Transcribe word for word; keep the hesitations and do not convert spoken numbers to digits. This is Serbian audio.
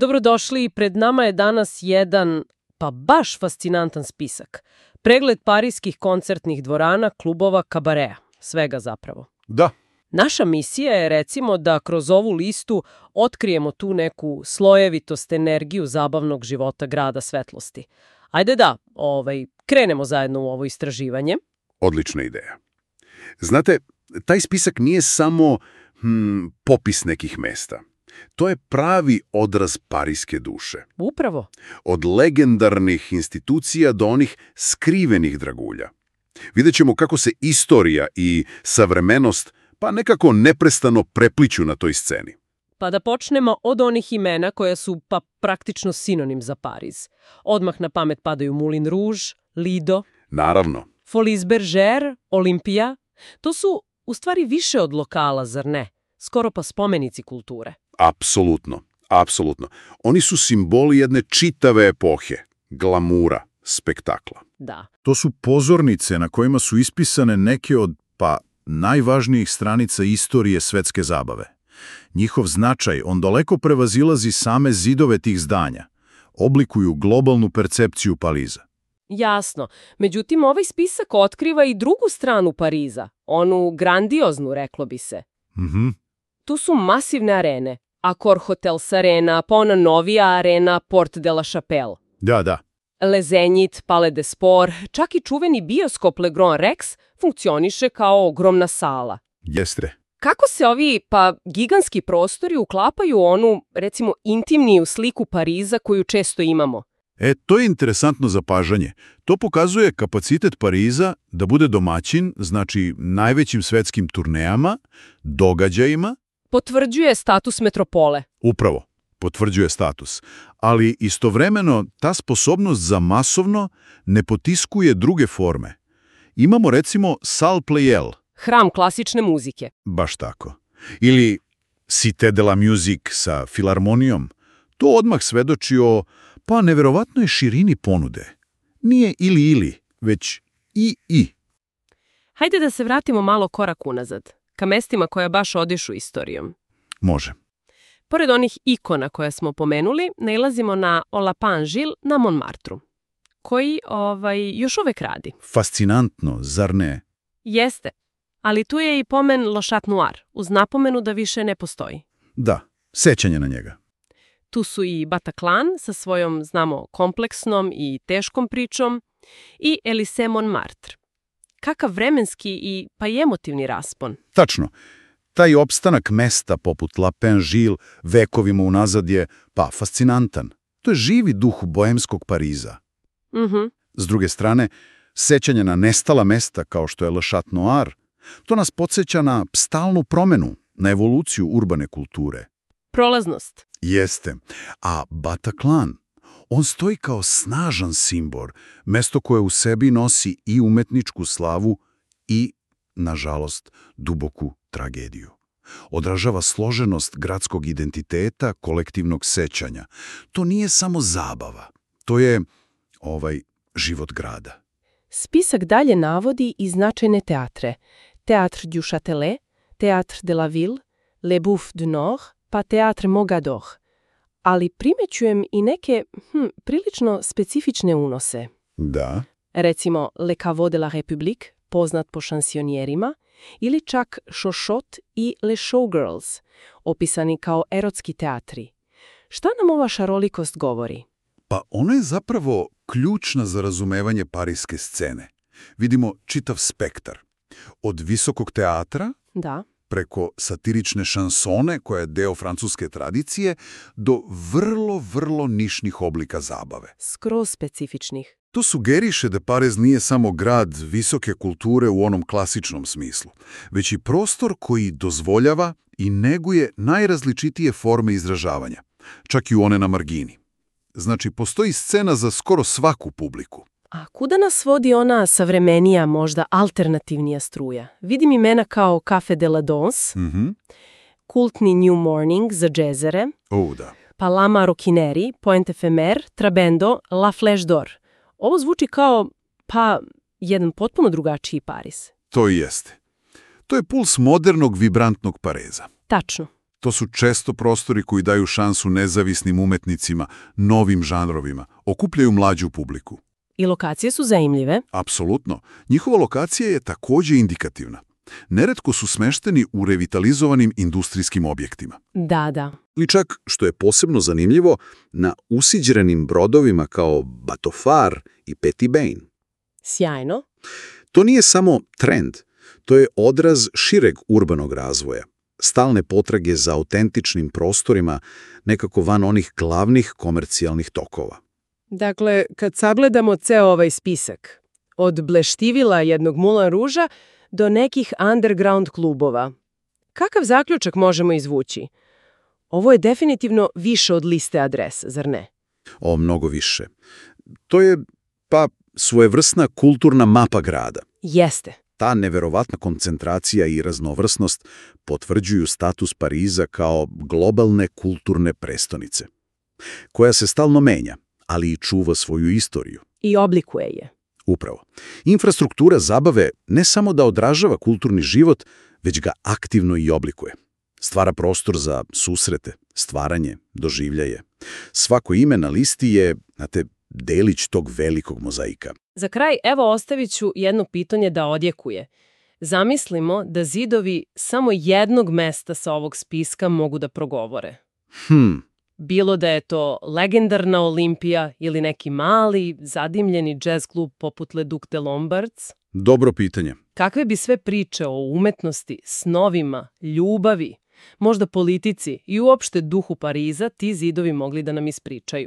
Dobrodošli, pred nama je danas jedan, pa baš fascinantan spisak. Pregled parijskih koncertnih dvorana, klubova, kabareja. Svega zapravo. Da. Naša misija je, recimo, da kroz ovu listu otkrijemo tu neku slojevitost, energiju zabavnog života grada svetlosti. Ajde da, ovaj, krenemo zajedno u ovo istraživanje. Odlična ideja. Znate, taj spisak nije samo hm, popis nekih mesta. To je pravi odraz parijske duše. Upravo. Od legendarnih institucija do onih skrivenih dragulja. Vidjet ćemo kako se istorija i savremenost pa nekako neprestano prepliću na toj sceni. Pa da počnemo od onih imena koja su pa praktično sinonim za Pariz. Odmah na pamet padaju Moulin Rouge, Lido, Naravno. Folies Bergère, Olimpija. To su u stvari više od lokala, zar ne? Skoro pa spomenici kulture. Apsolutno, apsolutno. Oni su simboli jedne čitave epohe, glamura, spektakla. Da. To su pozornice na kojima su ispisane neke od, pa, najvažnijih stranica istorije svetske zabave. Njihov značaj on daleko prevazilazi same zidove tih zdanja. Oblikuju globalnu percepciju Pariza. Jasno. Međutim, ovaj spisak otkriva i drugu stranu Pariza. Onu grandioznu, reklo bi se. Mhm. Tu su masivne arene. Accor Hotels Arena, pa ona novija arena Porte de la Chapelle. Da, da. Le Zénith, Palais des Sports, čak i čuveni bioskop Le Grand Rex funkcioniše kao ogromna sala. Jeste. Kako se ovi, pa, gigantski prostori uklapaju u onu, recimo, intimniju sliku Pariza koju često imamo? E, to je interesantno zapažanje. To pokazuje kapacitet Pariza da bude domaćin, znači najvećim svetskim turnejama, događajima. Potvrđuje status metropole. Upravo, potvrđuje status. Ali istovremeno ta sposobnost za masovno ne potiskuje druge forme. Imamo recimo Salle Pleyel. Hram klasične muzike. Baš tako. Ili Cité de la Musique sa filharmonijom. To odmah svedoči o, pa, neverovatnoj širini ponude. Nije ili-ili, već i-i. Hajde da se vratimo malo korak unazad, ka mestima koja baš odišu istorijom. Može. Pored onih ikona koje smo pomenuli, nailazimo na Olapin-Gilles na Montmartru, koji ovaj, još uvek radi. Fascinantno, zar ne? Jeste, ali tu je i pomen Le Chat Noir, uz napomenu da više ne postoji. Da, sećanje na njega. Tu su i Bataclan sa svojom, znamo, kompleksnom i teškom pričom i Élysée Montmartre. Kakav vremenski i pa i emotivni raspon. Tačno. Taj opstanak mesta poput Lapin-Gilles vekovima unazad je, pa, fascinantan. To je živi duh boemskog Pariza. Mhm. S druge strane, sećanje na nestala mesta kao što je Le Chat Noir, to nas podsjeća na stalnu promenu, na evoluciju urbane kulture. Prolaznost. Jeste. A Bataclan, on stoji kao snažan simbol, mesto koje u sebi nosi i umetničku slavu i, nažalost, duboku tragediju. Odražava složenost gradskog identiteta, kolektivnog sećanja. To nije samo zabava. To je, ovaj, život grada. Spisak dalje navodi i značajne teatre. Théâtre du Châtelet, Théâtre de la Ville, Le Boeuf du Nord, pa Théâtre Mogador. Ali primećujem i neke hm, prilično specifične unose. Da. Recimo Le Caveau de la République, poznat po šansionjerima, ili čak Chochotte i Les Showgirls, opisani kao erotski teatri. Šta nam ova šarolikost govori? Pa ona je zapravo ključna za razumevanje parijske scene. Vidimo čitav spektar. Od visokog teatra, Da. preko satirične šansone, koja je deo francuske tradicije, do vrlo, vrlo nišnih oblika zabave. Skroz specifičnih. To sugeriše da Pariz nije samo grad visoke kulture u onom klasičnom smislu, već i prostor koji dozvoljava i neguje najrazličitije forme izražavanja, čak i one na margini. Znači, postoji scena za skoro svaku publiku. A kuda nas vodi ona savremenija, možda alternativnija struja? Vidim imena kao Café de la Danse, Mhm. kultni New Morning za džezere, O, da. pa La Maroquinerie, Point Ephemer, Trabendo, La Flèche d'Or. Ovo zvuči kao, pa, jedan potpuno drugačiji Pariz. To i jeste. To je puls modernog, vibrantnog Pariza. Tačno. To su često prostori koji daju šansu nezavisnim umetnicima, novim žanrovima, okupljaju mlađu publiku. I lokacije su zanimljive. Apsolutno. Njihova lokacija je također indikativna. Neretko su smešteni u revitalizovanim industrijskim objektima. Da, da. Ili čak, što je posebno zanimljivo, na usiđerenim brodovima kao Batofar i Petty Bane. Sjajno. To nije samo trend, to je odraz šireg urbanog razvoja, stalne potrage za autentičnim prostorima, nekako van onih glavnih komercijalnih tokova. Dakle, kad sagledamo ceo ovaj spisak, od bleštivila jednog Moulin Rouge-a do nekih underground klubova, kakav zaključak možemo izvući? Ovo je definitivno više od liste adresa, zar ne? O, mnogo više. To je, pa, svojevrsna kulturna mapa grada. Jeste. Ta neverovatna koncentracija i raznovrsnost potvrđuju status Pariza kao globalne kulturne prestonice, koja se stalno menja, ali i čuva svoju istoriju. I oblikuje je. Upravo. Infrastruktura zabave ne samo da odražava kulturni život, već ga aktivno i oblikuje. Stvara prostor za susrete, stvaranje, doživljaje. Svako ime na listi je, znate, delić tog velikog mozaika. Za kraj, evo ostavit ću jedno pitanje da odjekuje. Zamislimo da zidovi samo jednog mesta sa ovog spiska mogu da progovore. Hm. Bilo da je to legendarna Olimpija ili neki mali, zadimljeni jazz klub poput Le Duc de Lombards. Dobro pitanje. Kakve bi sve priče o umetnosti, snovima, ljubavi, možda politici i uopšte duhu Pariza ti zidovi mogli da nam ispričaju?